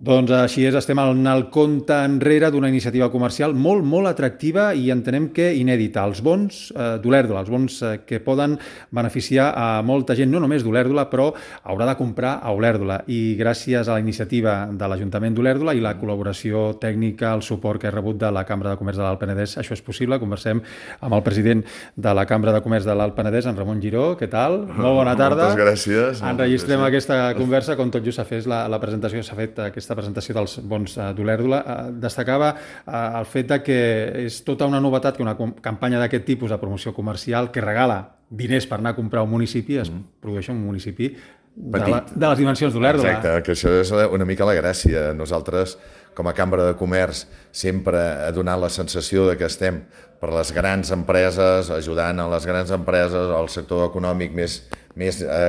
Doncs així és, estem en el compte enrere d'una iniciativa comercial molt, molt atractiva i entenem que inèdita. Els bons d'Olèrdola, els bons que poden beneficiar a molta gent, no només d'Olèrdola, però haurà de comprar a Olèrdola. I gràcies a la iniciativa de l'Ajuntament d'Olèrdola i la col·laboració tècnica, el suport que he rebut de la Cambra de Comerç de l'Alt Penedès, això és possible. Conversem amb el president de la Cambra de Comerç de l'Alt Penedès, en Ramon Giró. Què tal? Molt bona tarda. Moltes gràcies. Enregistrem aquesta conversa, com tot just s'ha fet la presentació, s'ha fet aquesta presentació dels bons d'Olèrdola. Destacava el fet de que és tota una novetat que una campanya d'aquest tipus de promoció comercial que regala diners per anar a comprar un municipi es produeix en un municipi de les dimensions d'Olèrdola. Exacte, que això és una mica la gràcia. Nosaltres, com a Cambra de Comerç, sempre ha donat la sensació de que estem per les grans empreses, ajudant a les grans empreses, al sector econòmic més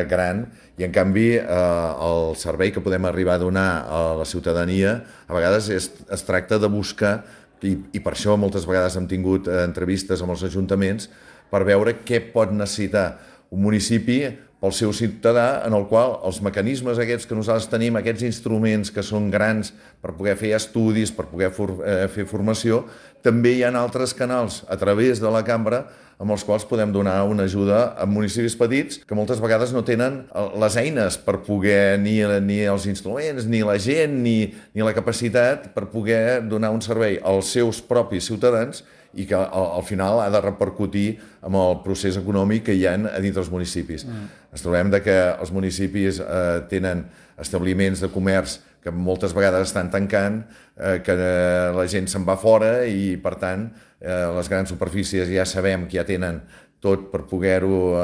gran, i en canvi el servei que podem arribar a donar a la ciutadania a vegades es tracta de buscar, i per això moltes vegades hem tingut entrevistes amb els ajuntaments per veure què pot necessitar un municipi pel seu ciutadà, en el qual els mecanismes aquests que nosaltres tenim, aquests instruments que són grans per poder fer estudis, per poder fer formació, també hi ha altres canals a través de la cambra amb els quals podem donar una ajuda a municipis petits que moltes vegades no tenen les eines per poder, ni els instruments, ni la gent, ni la capacitat per poder donar un servei als seus propis ciutadans i que al final ha de repercutir amb el procés econòmic que hi ha a dintre dels municipis. Ens trobem que els municipis tenen establiments de comerç que moltes vegades estan tancant, que la gent se'n va fora i, per tant, les grans superfícies ja sabem que ja tenen tot per poder-ho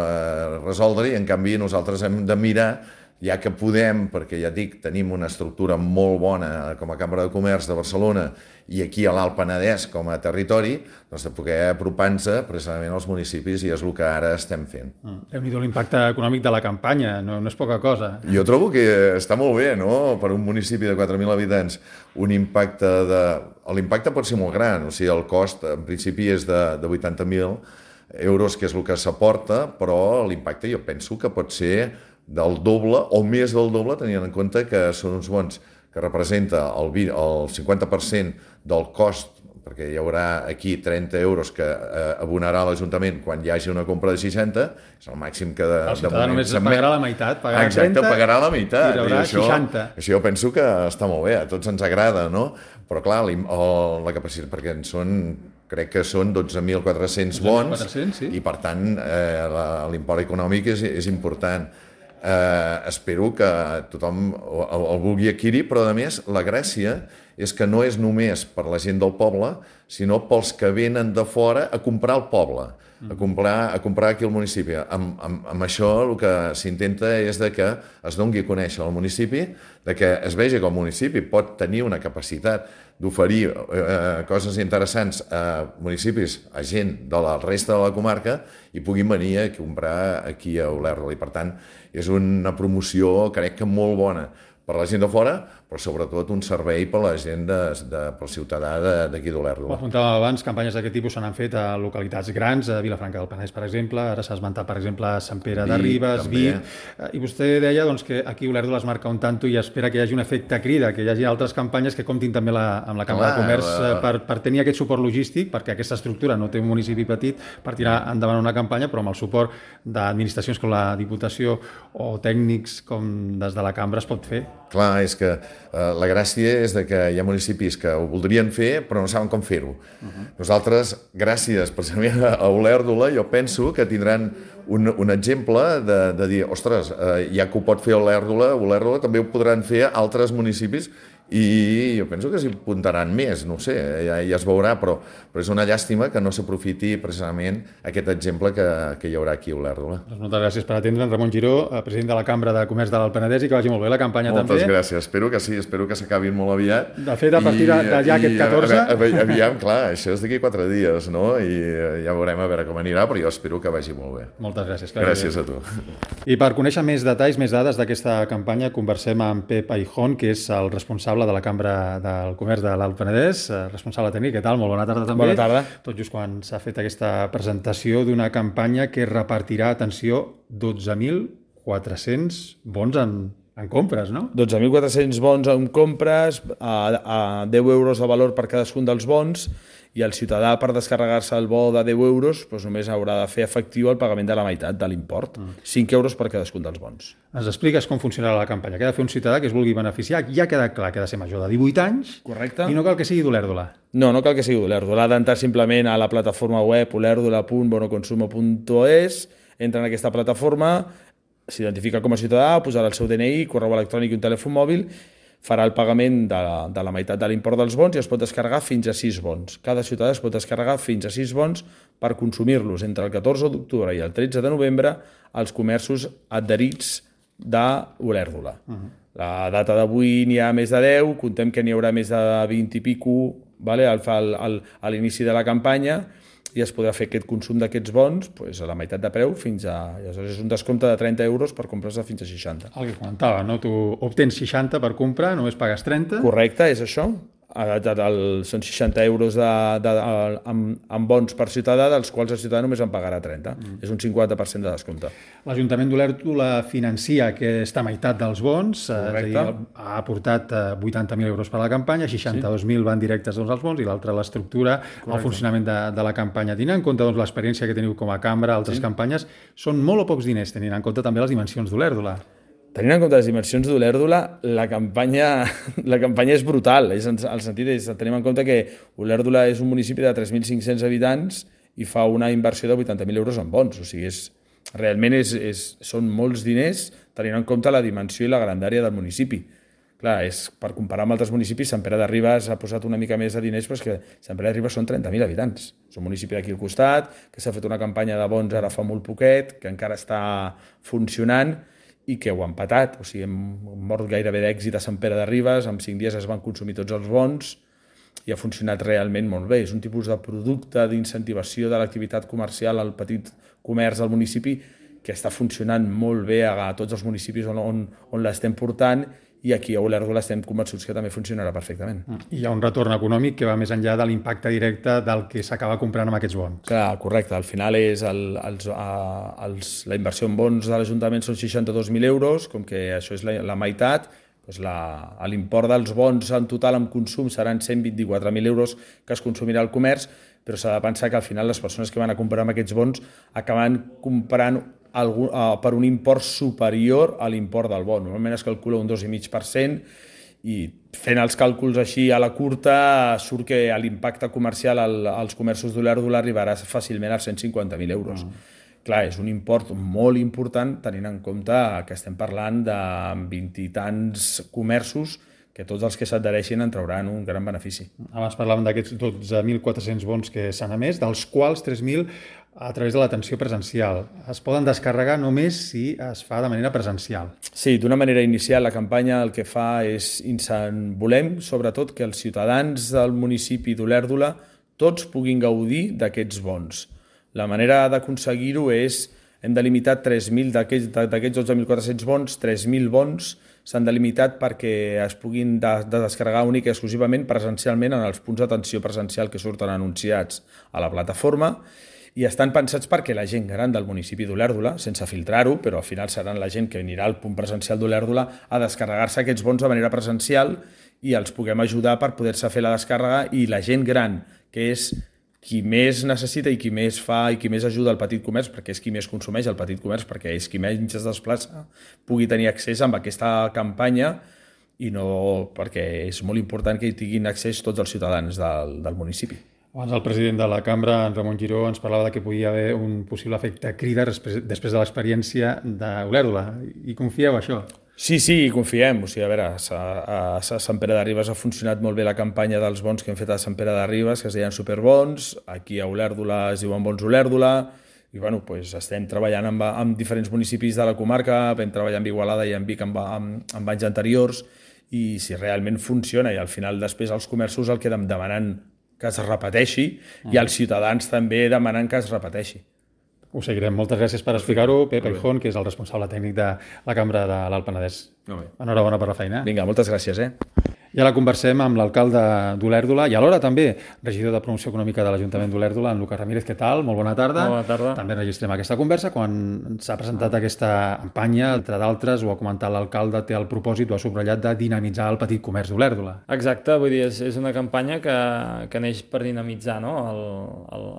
resoldre, i en canvi nosaltres hem de mirar, ja que podem, perquè ja dic, tenim una estructura molt bona com a Cambra de Comerç de Barcelona i aquí a l'Alt Penedès com a territori, doncs de poder apropar-nos precisament als municipis, i és el que ara estem fent. Déu-n'hi-do l'impacte econòmic de la campanya, no és poca cosa. Jo trobo que està molt bé, no?, per un municipi de 4.000 habitants, l'impacte pot ser molt gran, o sigui, el cost en principi és de 80.000 euros, que és el que s'aporta, però l'impacte jo penso que pot ser del doble o més del doble, tenint en compte que són uns bons que representa el 50% del cost, perquè hi haurà aquí 30 euros que abonarà l'Ajuntament quan hi hagi una compra de 60, és el màxim que de ciutadà només pagarà la meitat, pagarà 30, exacte, pagarà la meitat, i rebrà 60. Això jo penso que està molt bé, a tots ens agrada, no? Però clar, la capacitat, perquè crec que són 12.400 bons, sí. I per tant l'import econòmic és important. Espero que tothom el vulgui adquirir, però a més la gràcia és que no és només per la gent del poble, sinó pels que venen de fora a comprar al poble, a comprar aquí al municipi. Amb això el que s'intenta és que es doni a conèixer el municipi, que es vegi que el municipi pot tenir una capacitat d'oferir coses interessants a municipis, a gent de la resta de la comarca, i puguin venir a comprar aquí a Olèrdola. I per tant és una promoció, crec que molt bona per la gent de fora, però sobretot un servei per la gent, pel ciutadà d'aquí d'Olèrdola. Ho apuntàvem abans, campanyes d'aquest tipus se n'han fet a localitats grans, a Vilafranca del Penedès, per exemple, ara s'ha esmentat, per exemple, Sant Pere de Ribes, Vic, i vostè deia que aquí Olèrdola es marca un tanto i espera que hi hagi un efecte crida, que hi hagi altres campanyes que comptin també amb la Cambra de Comerç per tenir aquest suport logístic, perquè aquesta estructura no té un municipi petit per tirar endavant una campanya, però amb el suport d'administracions com la Diputació o tècnics com des de la Cambra es pot fer. Clar, és que la gràcia és que hi ha municipis que ho voldrien fer però no saben com fer-ho. Nosaltres, gràcies precisament a Olèrdola, jo penso que tindran un exemple de dir, ostres, ja que ho pot fer Olèrdola també ho podran fer altres municipis, i jo penso que s'hi apuntaran més, no ho sé, ja es veurà, però és una llàstima que no s'aprofiti precisament aquest exemple que hi haurà aquí a Olèrdola. Doncs moltes gràcies per atendre'ns, Ramon Giró, president de la Cambra de Comerç de l'Alt Penedès, i que vagi molt bé la campanya també. Moltes gràcies, espero que sí, espero que s'acabin molt aviat. De fet, a partir d'allà aquest 14... Aviam, clar, això és d'aquí 4 dies, no? I ja veurem a veure com anirà, però jo espero que vagi molt bé. Moltes gràcies. Gràcies a tu. I per conèixer més detalls, més dades d'aquesta campanya, conversem amb Pep Aijón, que és el responsable de la Cambra del Comerç de l'Alt Penedès, responsable tècnic. Què tal? Molt bona tarda també. Bona tarda. Tot just quan s'ha fet aquesta presentació d'una campanya que repartirà, atenció, 12.400 bons en En compres, no? 12.400 bons en compres, a 10 euros de valor per cadascun dels bons, i el ciutadà, per descarregar-se el bo de 10 euros, doncs només haurà de fer efectiu el pagament de la meitat de l'import. 5 euros per cadascun dels bons. Ens expliques com funcionarà la campanya. Què ha de fer un ciutadà que es vulgui beneficiar? Ja ha quedat clar que ha de ser major de 18 anys. Correcte. I no cal que sigui d'Olèrdola. No cal que sigui d'Olèrdola. Ha d'entrar simplement a la plataforma web olèrdola.bonoconsumo.es, entra en aquesta plataforma, s'identifica com a ciutadà, posarà el seu DNI, correu electrònic i un telèfon mòbil, farà el pagament de la meitat de l'import dels bons i es pot descarregar fins a 6 bons. Cada ciutadà es pot descarregar fins a 6 bons per consumir-los entre el 14 d'octubre i el 13 de novembre als comerços adherits d'Olèrdola. La data d'avui n'hi ha més de 10, contem que n'hi haurà més de 20 i pico a l'inici de la campanya, i es podrà fer aquest consum d'aquests bons a la meitat de preu fins a... Aleshores és un descompte de 30 euros per comprar-se fins a 60. El que comentava, no? Tu obtens 60 per comprar, només pagues 30. Correcte, és això. Són 60 euros en bons per ciutadà, dels quals el ciutadà només en pagarà 30. És un 50% de descompte. L'Ajuntament d'Olèrdola financia aquesta meitat dels bons, és a dir, ha aportat 80.000 euros per a la campanya, 62.000 van directes als bons i l'altra l'estructura, el funcionament de la campanya. Tenint en compte l'experiència que teniu com a cambra, altres campanyes, són molt o pocs diners, tenint en compte també les dimensions d'Olèrdola. Tenint en compte les dimensions d'Olèrdola, la campanya és brutal. El sentit és, tenim en compte que Olèrdola és un municipi de 3.500 habitants i fa una inversió de 80.000 euros en bons. O sigui, realment són molts diners tenint en compte la dimensió i la grandària del municipi. Clar, per comparar amb altres municipis, Sant Pere de Ribes ha posat una mica més de diners, però és que Sant Pere de Ribes són 30.000 habitants. És un municipi d'aquí al costat, que s'ha fet una campanya de bons ara fa molt poquet, que encara està funcionant, i que ho ha empatat. O sigui, hem mort gairebé d'èxit a Sant Pere de Ribes, en 5 dies es van consumir tots els bons i ha funcionat realment molt bé. És un tipus de producte d'incentivació de l'activitat comercial al petit comerç del municipi que està funcionant molt bé a tots els municipis on l'estem portant, i aquí a Olèrdola estem convençuts que també funcionarà perfectament. I hi ha un retorn econòmic que va més enllà de l'impacte directe del que s'acaba comprant amb aquests bons. Clar, correcte. Al final la inversió en bons de l'Ajuntament són 62.000 euros, com que això és la meitat, l'import dels bons en total en consum seran 124.000 euros que es consumirà al comerç, però s'ha de pensar que al final les persones que van a comprar amb aquests bons acaben comprant per un import superior a l'import del bon. Normalment es calcula un 2,5% i fent els càlculs així a la curta surt que l'impacte comercial als comerços d'Olèrdola arribarà fàcilment als 150.000 euros. Clar, és un import molt important tenint en compte que estem parlant de 20 i tants comerços que tots els que s'adhereixin en trauran un gran benefici. Abans parlàvem d'aquests 12.400 bons que s'han emès, dels quals 3.000 a través de l'atenció presencial. Es poden descarregar només si es fa de manera presencial. Sí, d'una manera inicial la campanya el que fa és volem, sobretot, que els ciutadans del municipi d'Olèrdola tots puguin gaudir d'aquests bons. La manera d'aconseguir-ho és, hem delimitat 3.000 d'aquests 12.400 bons, 3.000 bons s'han delimitat perquè es puguin descarregar únic i exclusivament presencialment en els punts d'atenció presencial que surten anunciats a la plataforma, i estan pensats perquè la gent gran del municipi d'Olèrdola, sense filtrar-ho, però al final seran la gent que anirà al punt presencial d'Olèrdola a descarregar-se aquests bons de manera presencial i els puguem ajudar per poder-se fer la descàrrega, i la gent gran, que és qui més necessita i qui més fa i qui més ajuda al petit comerç, perquè és qui més consumeix el petit comerç, perquè és qui menys es desplaça, pugui tenir accés amb aquesta campanya, i no perquè és molt important que hi tinguin accés tots els ciutadans del municipi. Abans el president de la cambra, en Ramon Giró, ens parlava que podia haver un possible efecte crida després de l'experiència d'Olèrdola. I confieu això? Sí, confiem. O sigui, a veure, a Sant Pere de Ribes ha funcionat molt bé la campanya dels bons que hem fet a Sant Pere de Ribes, que es deien superbons. Aquí a Olèrdola es diuen bons Olèrdola. I bueno, estem treballant amb diferents municipis de la comarca, vam treballar amb Igualada i amb Vic amb anys anteriors, i si realment funciona, i al final després els comerços el que demanen que es repeteixi, i els ciutadans també demanen que es repeteixi. Ho seguirem. Moltes gràcies per explicar-ho. Pep Aijón, que és el responsable tècnic de la Cambra de l'Alt Penedès. Enhorabona per la feina. Vinga, moltes gràcies. I ara conversem amb l'alcalde d'Olèrdola i alhora també regidor de Promoció Econòmica de l'Ajuntament d'Olèrdola, en Lucas Ramírez. Què tal? Molt bona tarda. Bona tarda. També registrem aquesta conversa. Quan s'ha presentat aquesta campanya, entre d'altres, ho ha comentat l'alcalde, té el propòsit, ho ha subratllat, de dinamitzar el petit comerç d'Olèrdola. Exacte, vull dir, és una campanya que neix per dinamitzar, no?,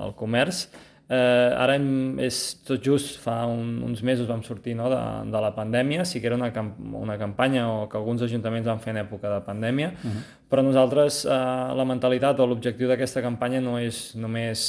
el comerç. Ara és tot just fa uns mesos vam sortir, no?, de la pandèmia. Sí que era una campanya que alguns ajuntaments van fer en època de pandèmia, però nosaltres la mentalitat o l'objectiu d'aquesta campanya no és només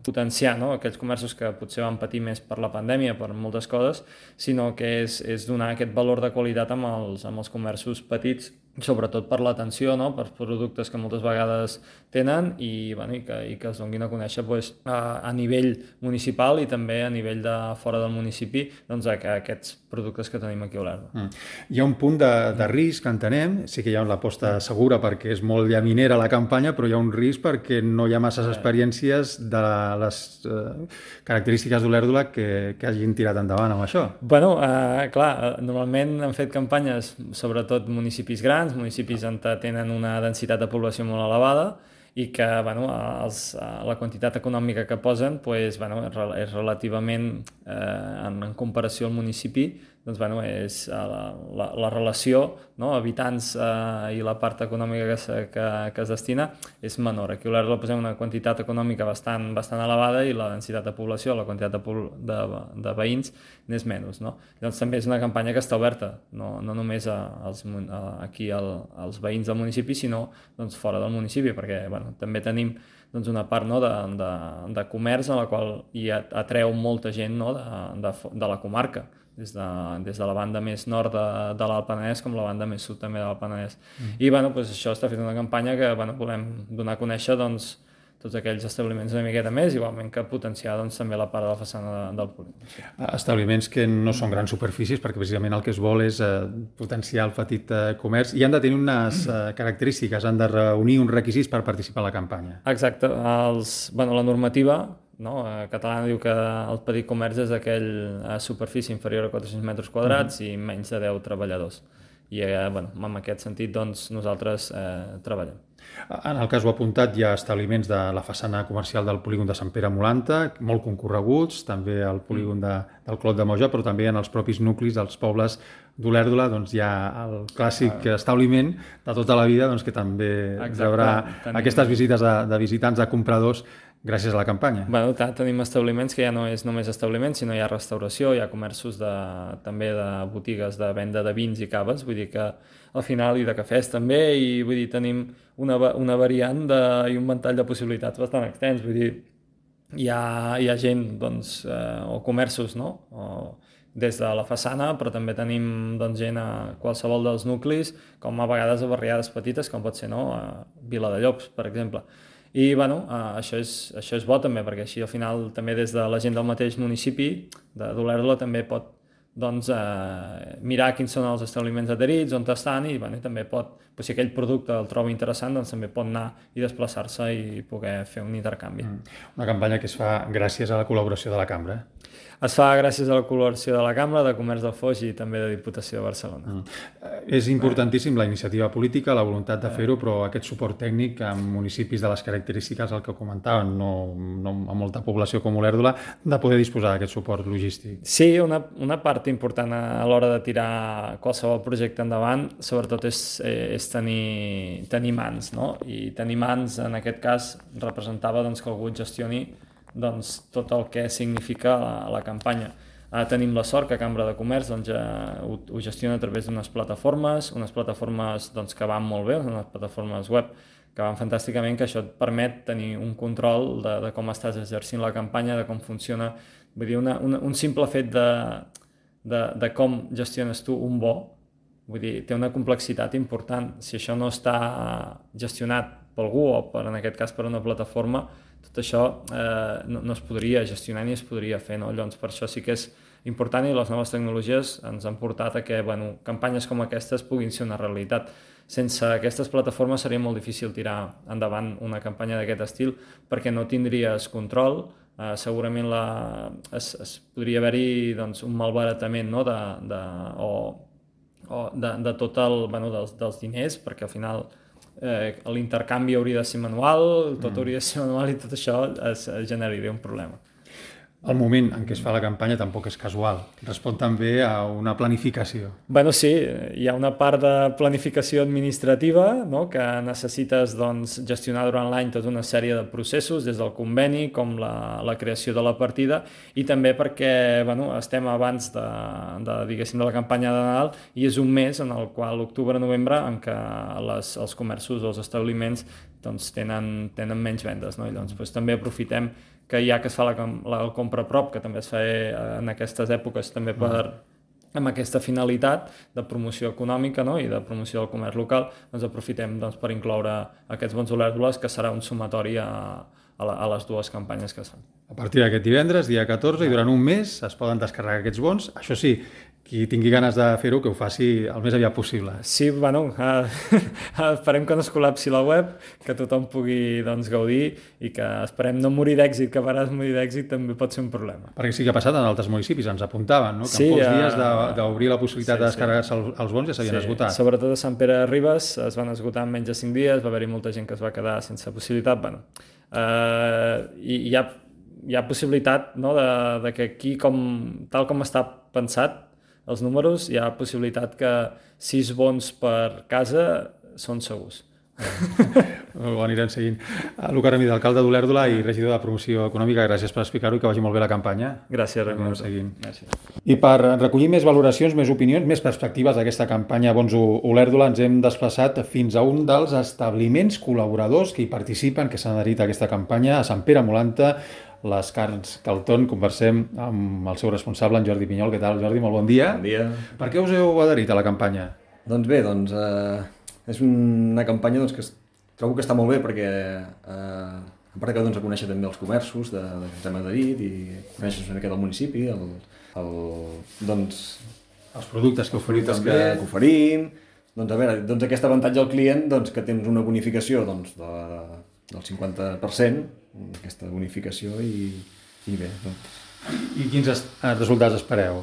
potenciar, no?, aquells comerços que potser van patir més per la pandèmia, per moltes coses, sinó que és donar aquest valor de qualitat amb els comerços petits, sobretot per l'atenció, no?, per productes que moltes vegades tenen i que es donin a conèixer a nivell municipal i també a nivell de fora del municipi, doncs aquests productes que tenim aquí a Olèrdola. Hi ha un punt de risc, entenem, sí que hi ha l'aposta segura perquè és molt llaminera la campanya, però hi ha un risc perquè no hi ha masses experiències de les característiques d'Olèrdola que hagin tirat endavant amb això. Bueno, clar, normalment han fet campanyes sobretot municipis grans, municipis on tenen una densitat de població molt elevada i que la quantitat econòmica que posen és relativament, en comparació al municipi, és la relació, no?, habitants i la part econòmica que es destina és menor. Aquí a Olèrdola posem una quantitat econòmica bastant elevada i la densitat de població, la quantitat de veïns n'és menys, no? Llavors també és una campanya que està oberta, no només aquí als veïns del municipi, sinó fora del municipi, perquè també tenim una part, no, de comerç en la qual hi atreu molta gent, no, de la comarca, des de la banda més nord de l'Alt Penedès com la banda més sud també de l'Alt Penedès. I això està fent una campanya que volem donar a conèixer tots aquells establiments una miqueta més, igualment que potenciar també la part de la façana del polígon. Establiments que no són grans superfícies, perquè precisament el que es vol és potenciar el petit comerç i han de tenir unes característiques, han de reunir uns requisits per participar a la campanya. Exacte. La normativa catalana diu que el petit comerç és aquell superfície inferior a 400 metres quadrats i menys de 10 treballadors. I en aquest sentit nosaltres treballem. En el cas ho ha apuntat, hi ha establiments de la façana comercial del polígon de Sant Pere Molanta, molt concorreguts, també al polígon del Clot de Moja, però també en els propis nuclis dels pobles d'Olèrdola hi ha el clàssic establiment de tota la vida que també rebrà aquestes visites de visitants, de compradors, gràcies a la campanya. Tenim establiments que ja no és només establiments, sinó hi ha restauració, hi ha comerços també de botigues de venda de vins i caves, vull dir que al final, i de cafès també, i vull dir, tenim una variant i un ventall de possibilitats bastant extens, vull dir, hi ha gent, o comerços, no?, des de la façana, però també tenim gent a qualsevol dels nuclis, com a vegades a barriades petites, com pot ser, no?, a Vila de Llops, per exemple. I això és bo també, perquè així al final també des de la gent del mateix municipi d'Olèrdola també pot mirar quins són els establiments adherits, on estan, i també pot, si aquell producte el troba interessant, també pot anar i desplaçar-se i poder fer un intercanvi. Una campanya que es fa gràcies a la col·laboració de la Cambra. Es fa gràcies a la col·laboració de la Cambra, de Comerç del Foix i també de Diputació de Barcelona. És importantíssim la iniciativa política, la voluntat de fer-ho, però aquest suport tècnic en municipis de les característiques, el que comentaven, no amb molta població com Olèrdola, de poder disposar d'aquest suport logístic. Sí, una part important a l'hora de tirar qualsevol projecte endavant, sobretot és tenir mans, no? I tenir mans, en aquest cas, representava que algú gestioni tot el que significa la campanya. Tenim la sort que Cambra de Comerç ho gestiona a través d'unes plataformes que van molt bé, unes plataformes web que van fantàsticament, que això et permet tenir un control de com estàs exercint la campanya, de com funciona. Vull dir, un simple fet de com gestiones tu un bo, vull dir, té una complexitat important. Si això no està gestionat per algú o en aquest cas per una plataforma, tot això no es podria gestionar ni es podria fer, no? Llavors, per això sí que és important i les noves tecnologies ens han portat a que campanyes com aquestes puguin ser una realitat. Sense aquestes plataformes seria molt difícil tirar endavant una campanya d'aquest estil perquè no tindries control, segurament podria haver-hi un malbaratament, no? de tot dels diners, perquè al final l'intercanvi hauria de ser manual, tot hauria de ser manual i tot això es generaria un problema. El moment en què es fa la campanya tampoc és casual, respon també a una planificació. Bueno, sí, hi ha una part de planificació administrativa, no?, que necessites gestionar durant l'any tota una sèrie de processos, des del conveni com la creació de la partida, i també perquè estem abans diguéssim, de la campanya de Nadal, i és un mes en el qual, octubre-novembre, en què els comerços o els establiments tenen menys vendes, no? I llavors també aprofitem que ja que es fa la compra a prop, que també es fa en aquestes èpoques també amb aquesta finalitat de promoció econòmica, no?, i de promoció del comerç local, aprofitem per incloure aquests bons olèrdoles, que serà un sumatori a les dues campanyes que es fan. A partir d'aquest divendres, dia 14, i durant un mes es poden descarregar aquests bons. Això sí, qui tingui ganes de fer-ho, que ho faci el més aviat possible. Sí, esperem que no es col·lapsi la web, que tothom pugui gaudir, i que esperem no morir d'èxit, que a vegades morir d'èxit també pot ser un problema. Perquè sí que ha passat en altres municipis, ens apuntaven, no?, que en pocs dies d'obrir la possibilitat de descarregar-se els bons ja s'havien esgotat. Sobretot a Sant Pere de Ribes es van esgotar en menys de 5 dies, va haver-hi molta gent que es va quedar sense possibilitat. Hi ha possibilitat, no?, de que aquí, tal com està pensat els números, hi ha possibilitat que 6 bons per casa són segurs. Ho anirem seguint. Luca Ramírez, alcalde d'Olèrdola i regidor de Promoció Econòmica, gràcies per explicar-ho i que vagi molt bé la campanya. Gràcies, Ramon. I per recollir més valoracions, més opinions, més perspectives d'aquesta campanya Bons Olèrdola, ens hem desplaçat fins a un dels establiments col·laboradors que hi participen, que s'han adherit a aquesta campanya, a Sant Pere Molanta, les Carns Calton. Conversem amb el seu responsable, en Jordi Pinyol. Què tal, Jordi? Molt bon dia. Bon dia. Per què us heu adherit a la campanya? Doncs bé, és una campanya que trobo que està molt bé, perquè a part que a conèixer també els comerços que ens hem adherit i conèixer una mica del municipi, els productes que oferiu també. Que oferim. Aquest avantatge al client, que tens una bonificació del 50%, aquesta bonificació, i bé. I quins resultats espereu?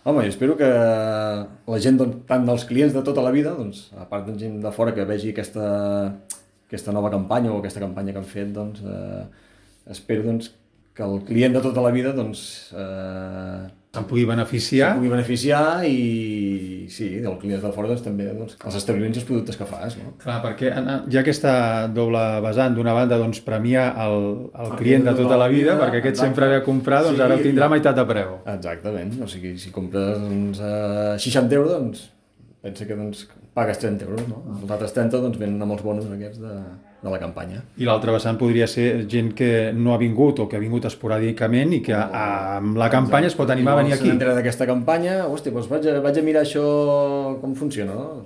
Home, jo espero que la gent, tant dels clients de tota la vida, a part de gent de fora que vegi aquesta nova campanya o aquesta campanya que han fet, espero que el client de tota la vida se'n pugui beneficiar. I sí, el client de fora també els establiments i els productes que fas, no? Clar, perquè hi ha aquesta doble vessant. D'una banda, premiar el client de tota la vida, perquè aquest sempre ve a comprar, ara ho tindrà a meitat de preu. Exactament. O sigui, si compres 60 euros, pensa que pagues 30 euros, no? Els altres 30 venen amb els bonos aquests de la campanya. I l'altre vessant podria ser gent que no ha vingut o que ha vingut esporàdicament i que amb la campanya es pot animar a venir aquí. Si s'entera d'aquesta campanya, vaig a mirar això com funciona, no?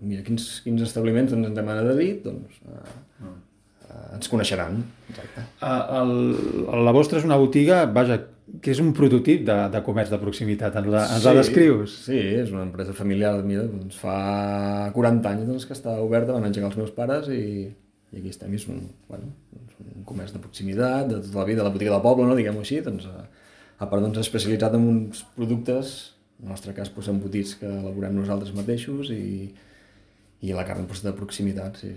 Mira, quins establiments ens hem adherit, ens coneixeran. Exacte. La vostra és una botiga, que és un prototip de comerç de proximitat. Ens la descrius? Sí, és una empresa familiar. Mira, fa 40 anys que està oberta, van engegar els meus pares i aquí estem. És un comerç de proximitat, de tota la vida, la botiga del poble, no, diguem-ho així. A part, especialitzat en uns productes, en el nostre cas, embotits que elaborem nosaltres mateixos, i la carn de proximitat, sí.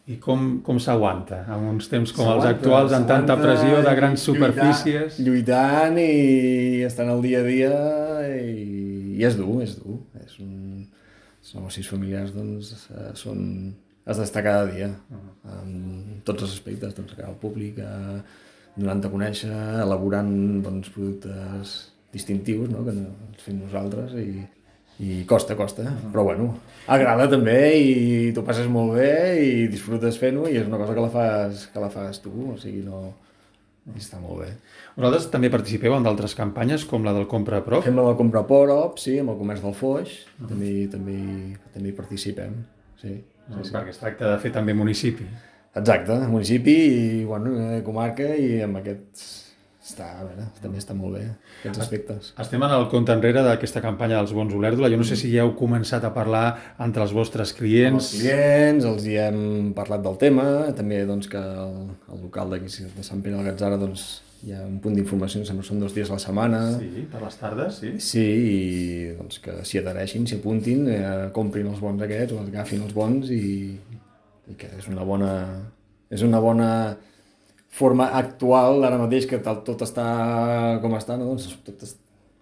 I com s'aguanta en uns temps com els actuals, amb tanta pressió de grans superfícies? Lluitant i estant al dia a dia, i és dur. Els negocis familiars has d'estar cada dia en tots els aspectes, cara al públic, donant a conèixer, elaborant productes distintius, no?, que els fem nosaltres, i costa, però bueno, agrada també, i t'ho passes molt bé i disfrutes fent-ho, i és una cosa que la fas tu, o sigui, i està molt bé. Vosaltres també participeu en d'altres campanyes, com la del Compra a Prop? Fem la del Compra a Prop, sí, amb el comerç del Foix, també hi participem, sí. Perquè es tracta de fer també municipi. Exacte, municipi i comarca, i amb aquests també està molt bé, aquests aspectes. Estem en el compte enrere d'aquesta campanya dels Bons Olèrdola. Jo no sé si ja heu començat a parlar entre els vostres clients. Amb els clients, els hi hem parlat del tema, també que el local d'aquí de Sant Pere del Gatzara hi ha un punt d'informació, em sembla que són 2 dies a la setmana. Sí, per les tardes, sí. Sí, i doncs que s'hi adhereixin, s'hi apuntin, comprin els bons aquests o agafin els bons i que és una bona forma actual ara mateix que tot està com està, no? Doncs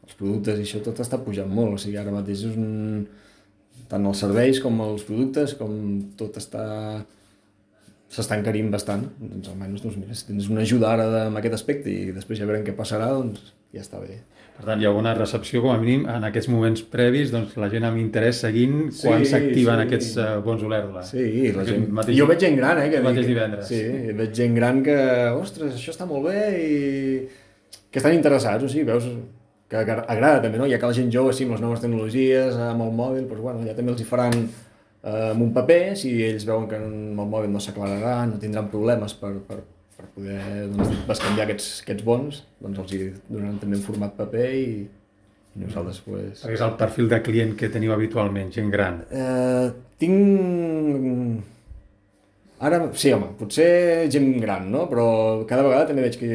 els productes i això tot està pujant molt, o sigui, ara mateix és tant els serveis com els productes, com tot s'està encarint bastant, doncs almenys mira, si tens una ajuda ara amb aquest aspecte i després ja veurem què passarà, doncs ja està bé. Per tant, hi ha una recepció, com a mínim, en aquests moments previs, doncs la gent amb interès seguint quan s'activen aquests bons Olèrdola. Sí, la gent... Jo veig gent gran, que mateix divendres. Sí, veig gent gran que, ostres, això està molt bé i que estan interessats, o sigui, veus que agrada també, no? Ja que la gent jove, sí, amb les noves tecnologies, amb el mòbil, doncs bueno, ja també els hi faran amb un paper, si ells veuen que amb el mòbil no s'aclararà, no tindran problemes per poder bescanviar aquests bons, doncs els hi donaran també en format paper i nosaltres pues... Perquè és el perfil de client que teniu habitualment, gent gran. Tinc... Ara, sí, home, potser gent gran, no? Però cada vegada també veig que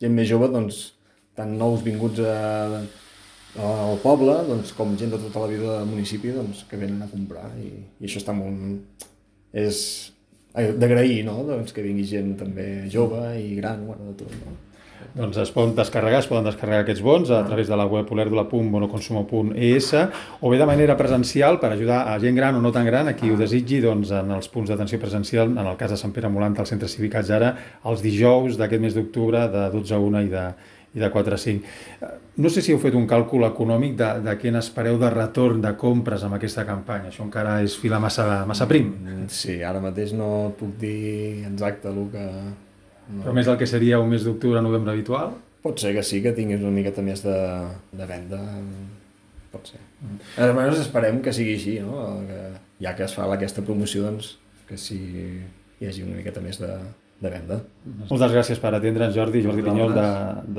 gent més jove, doncs, tant nous vinguts al poble, doncs, com gent de tota la vida del municipi, doncs, que venen a comprar i això està molt... És d'agrair, no? Doncs, que vingui gent també jove i gran, bueno, de tot, no? Doncs es poden descarregar aquests bons a través de la web olèrdola.bonoconsumo.es o bé de manera presencial per ajudar a gent gran o no tan gran, a qui ho desitgi, doncs en els punts d'atenció presencial, en el cas de Sant Pere Molant, al Centre Cívic Atzara, els dijous d'aquest mes d'octubre de 12 a 1 i de 4 a 5. No sé si heu fet un càlcul econòmic de què n'espereu de retorn de compres amb aquesta campanya. Això encara és filar massa prim. Sí, ara mateix no puc dir exacte el que... No. Però més del que seria un mes d'octubre, novembre habitual? Pot ser que sí, que tinguis una miqueta més de venda. Pot ser. Almenys esperem que sigui així, no? Que, ja que es fa aquesta promoció, doncs, que sí hi hagi una miqueta més de venda. Moltes gràcies per atendre'ns, Jordi Pinyol,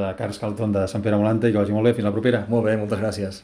de Cars Calton de Sant Pere Molant, i que vagi molt bé. Fins la propera. Molt bé, moltes gràcies.